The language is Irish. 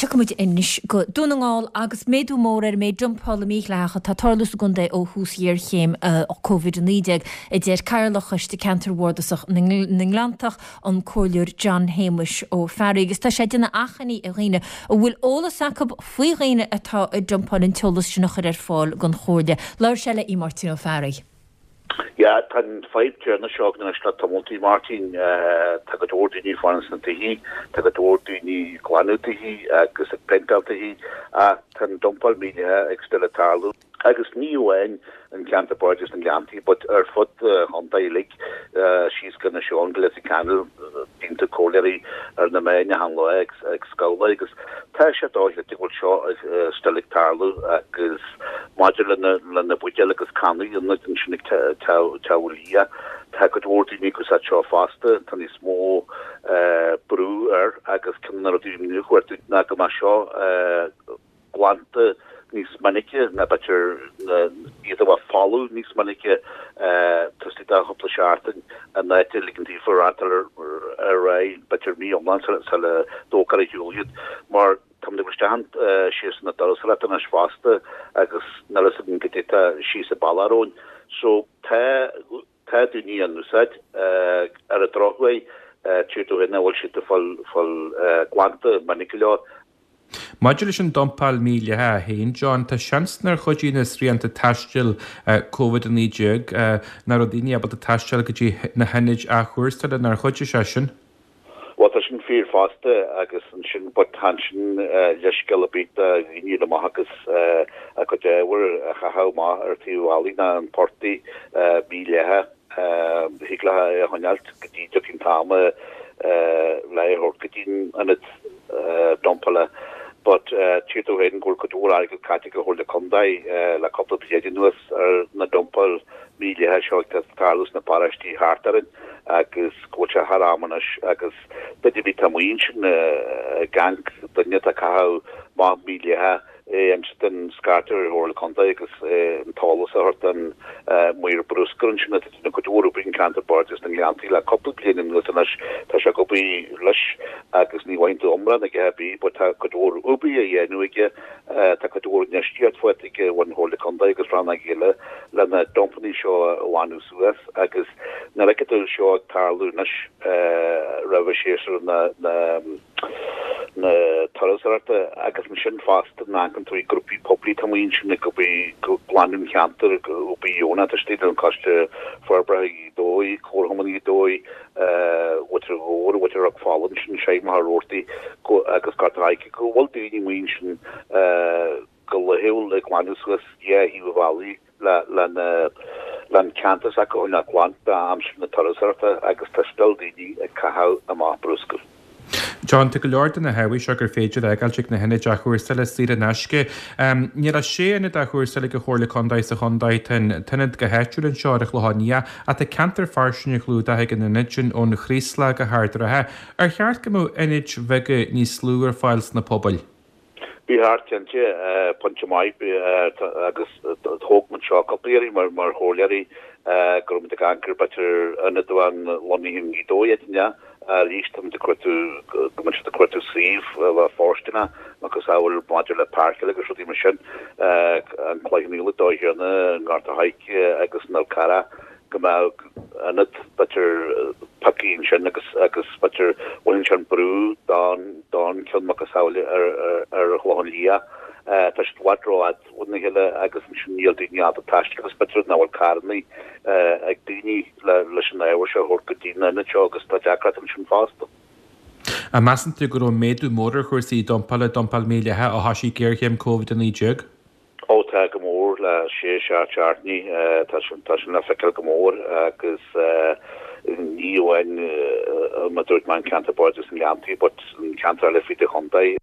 Tiocfaidh muid anois go Dún na nGall agus méadú mór ar an méid dumpála mídhleathach atá ag tarlú sa gcontae ó thús ghéarchéim Covid-19, a deir Cathaoirleach Choiste Ceantair Bhardasach na nGleanntach, an Comhairleoir John Shéamuis Ó Fearraigh. Agus tá sé ag déanamh achainí ar dhaoine a bhfuil eolas acu faoi dhaoine atá ag dumpáil an t-eolas sin a chur ar fáil don Chomhairle. Labhair sé le Máirtín Ó Fearraigh. Yeah, tá an fadhb céanna seo againn anois le tamalltaí, Máirtín. Tá go leor daoine ag fanacht sna tithe, tá go leor daoine ag glanadh tithe agus ag péinteáil tithe ach tá an dumpáil mídhleathach ag still ag tarlú. Agus ní amháin an ceantar Bardais na nGleanntaí but ar fud an chontae uilig, síos go Inis Eoghain go Leitir Ceanainn, bíonn tú comhairleoirí ar na meáin achan lá ag scabhláil agus tá sé dochreidte go bhfuil seo still ag tarlú agus maidir le na buidéil agus cannaí ionaid ansin ag Teamhair Liath, tá cuid mhór daoine ag úsáid seo fosta, tá níos mó brú air agus ceann de na rudaí a chuartú ná go mbeadh seo glanta níos minice ná b'fhéidir iad a bheith folamh níos minice taobh istigh de chúpla seachtain in áit a ligean daofa reáchtáil ar aghaidh b'fhéidir mí iomlán sula dtógfar ar shiúl iad mar Táimid ag dul isteach in séasúr na turasóireachta anois fosta agus níl a fhios againn goidé atá síos an bealach romhainn. So tá, tá daoine á n-úsáid. Ar an drochuair, tír dó féin nach bhfuil siad ag fáil, fáil glanta minic go leor. Maidir leis an dumpáil mhídhleathach féin, John, tá seans nár chuidigh na srianta taistil Covid-19, nach raibh daoine ábalta taisteal go dtí na hionaid athchúrsála, nár chuidigh sé sin? Bhuel, tá sin fíor fosta agus ansin, but tá ansin leithscéal ar bith do dhaoine dul amach agus a gcuid ábhair a chaitheamh amach ar taobh an bhealaigh ná an portaigh mídhleathach. Thig leo é a choinneáilt go dtí dtiocfaidh an t-am le é a thabhairt go dtí an ionad dumpála. But tchítear domh féin go bhfuil cuid mhór airgead caite ag an Chomhairle Contae le cúpla bliain anuas ar na dumpáil mídhleathach seo ag tarlú sna paróistí thart orainn agus go bhfuil sé thar am anois agus duine ar bith atá amuigh ansin ag amharc duine atá ag caitheamh amach mídhleathach é inse don scairteadh ar an Chomhairle Contae agus an t-eolas a thabhairt don maor bruscair ansin atá ag déanamh cuid mhór oibre in ceantar Bardais na nGleanntaí le cúpla bliain anuas anois tá sé ag obair leis agus ní bhfaigheann tú iomrá aige ar bith but tá cuid mhór oibre á dhéanamh aige Tá cuid mhór infheistíocht faighte ag an Chomhairle Contae agus rannóg eile le na dumpannaí seo a bhaint suas agus nuair a fheiceann tú seo ag tarlú anois roimh séasúr na na turasóireachta agus ansin fosta nuair a amharcann tú ar grúpaí poiblí atá amuigh ansin ag obair ag glanadh an cheantair ag obair dheonach tá siad an Coiste Forbartha Ghaoth Dobhair, Comharchumann Ghaoth Dobhair, Mhuintir Mhór, Mhuintir Ráth Fáil ansin, Seigh Machaire Rabhartaigh agus Gort an Choirce, go bhfuil daoine amuigh ansin go laethúil ag glanadh suas dhá thaobh an bhealaigh le le an ceantar s'acu a choinneáil glan d'aimsir na turasóireachta agus tá still daoine ag caitheamh amach bruscar. John, tá go leor de na hábhair seo gur féidir a fhágáilt ag na hionaid athchúrsála saor in aisce. Níl ach sé ionad athchúrsála ag an Chomhairle Contae sa chontae. Tá an t-ionad go háitiúil anseo ar an Chlochán Liath ach tá ceantar fairsing a chlúdach ag an ionad sin ón Chraoslach go hArd an Rátha. Ar cheart go mbeadh ionaid bheaga níos lú ar fáil sna pobail? Ba cheart cinnte, pointe maith agus thóg muid seo cúpla iarraidh mar chomhairleoirí go raibh muid ag amharc ar b'fhéidir ionad amháin lonnaithe i nGaoth Dobhair áit inteacht. Arís tá muid ag cuartú go mbeidh siad ag cuartú suíomh a bheadh fóirsteanach macasamhail maidir le páirceáil agus rudaí mar sin, an Cloich Cheann Fhaola, Dumhaigh Théarna, an Gort a' Choirce agus an Fhál Carrach. go mbeadh ionad b'fhéidir pioctha ansin agus agus b'fhéidir bhainfeadh sin brú don don ceann macasamhail ar ar an Chlochán Liath. Tá siad i bhfad rófhada óna chéile agus ansin níl daoine ábalta taisteal agus b'fhéidir nach bhfuil carrannaí ag daoine le leis an ábhar seo a thabhairt go dtí an ionad seo agus tá deacracht ansin fosta. An measann tú go raibh méadú mór ar chúrsaí dumpála, dumpáil mhídhleathach ó thoisigh géarchéim Covid-19? Ó tá go mór le sé seacht seachtainí tá sin tá sin le feiceáil go mór agus ní amháin mar dúirt mé an ceantar Bardais na nGleanntaí but an ceantar eile fríd an chontae.